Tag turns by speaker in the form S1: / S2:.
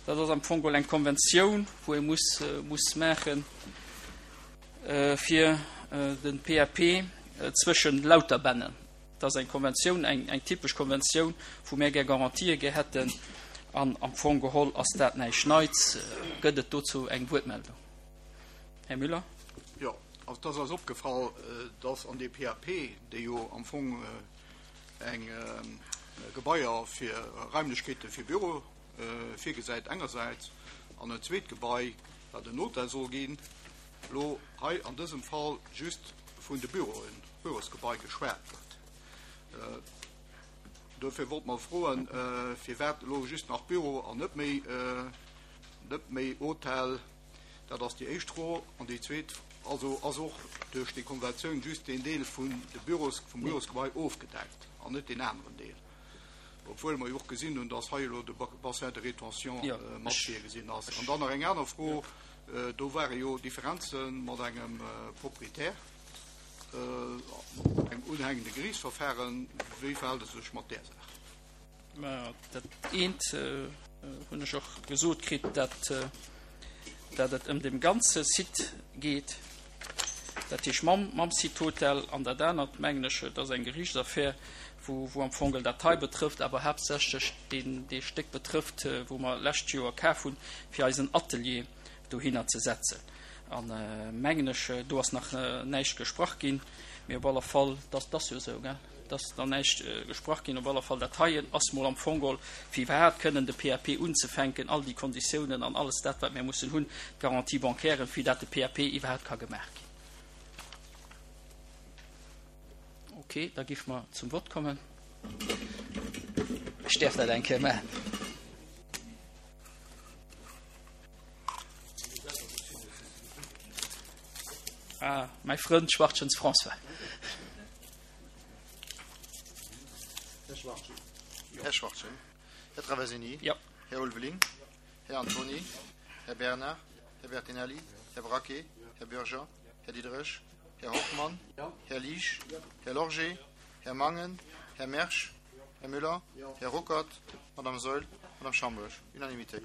S1: Dat ass am Fong geholl eng Konventioun, wou ee muss, muss maache fir de PAP zwëschen Lauterbännen. Dat ass eng Konventioun, eng, eng typesch Konventioun, wou mär gär Garantië gär hätten. An am Fong geholl ass dat näischt Neits. Gëtt et dozou eng Wuertmeldung? Här Müller.
S2: Jo, also et ass eis opgefall, dass an deem PAP, dee jo am Fong eng Gebaier fir Raimlechkeete fir Büro virgesäit engersäits an en zweet Gebai, wat en Hotel soll ginn, elo hei an dësem Fall just vun de Büroen, Bürosgebai geschwat gëtt. Dofir wollt mer froen, firwat elo just nach Büro an net méi, net méi Hotel. Dat ass déi éischt Fro. An déi zweet, also ass och duerch déi Konventioun just deen Deel vun de Büros, vum Bürosgebai ofgedeckt an net deen aneren Deel? Obwuel mer jo och gesinn hunn, dass hei elo de Bassin de rétention mat virgesinn ass. An dann nach eng aner Fro, Do ware jo Differenze mat engem Proprietär, engem unhängende Geriichtsverfahren. Wéi verhält et sech mat där Saach?
S1: Mä dat eent hunn ech och gesot kritt, dat dat et ëm deem ganze Site geet, dat heescht mam, mam Site Hotel. An dat anert, mengen ech, et ass eng Geriichtsaffär, wou, wou am Fong dat hei betrëfft, awer haaptsächlech deen, dee Stéck betrëfft, wou mer lescht Joer kaf hunn, fir eisen Atelier dohinner ze setzen. An, mengen ech, do ass nach näischt gesprach ginn, mee op alle Fall, dat ass jo esou, gell, et ass nach näischt gesprach ginn, op alle Fall dat heien ass mol am Fong geholl, fir iwwerhaapt kënnen de PAP unzefänken, all déi Konditiounen an alles dat, wat mir mussen hunn, d'Garantie bancaire, fir dat de PAP iwwerhaapt ka gemaach ginn. Ok, da géife mer zum Vott kommen. Ech däerf dat eng Kéier maachen. Ah, mäi Frënd Schwartgens François.
S3: Här Schwartgen. Här Schwartgen. Här Traversini.
S1: Ja.
S3: Här Ulveling. Här Antony. Här Bernard. Här Bertinelli. Här Braquet. Här Bürger. Här Diderich. Här Hoffmann. Här Liesch. Här Lorgé. Här Mangen. Här Mersch. Här Müller. Här Ruckert. Madame Saeul. Madame Schambourg. Unanimité.